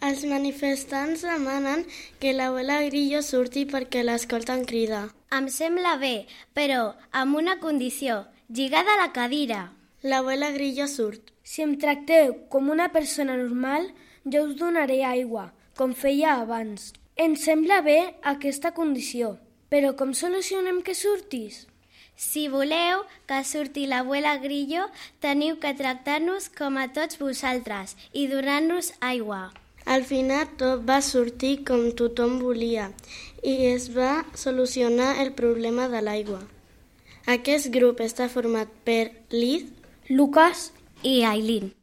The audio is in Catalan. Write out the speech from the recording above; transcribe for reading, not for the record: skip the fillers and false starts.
Els manifestants demanen que l'abuela Grillo surti perquè l'escolten cridar. Em sembla bé, però amb una condició, lligada a la cadira. L'abuela Grillo surt. Si em tracteu com una persona normal, jo us donaré aigua, com feia abans. Em sembla bé aquesta condició, però com solucionem que surtis? Si voleu que surti l'abuela Grillo, teniu que tractar-nos com a tots vosaltres i donar-nos aigua. Al final tot va sortir com tothom volia i es va solucionar el problema de l'aigua. Aquest grup està format per Liz, Lucas i Aileen.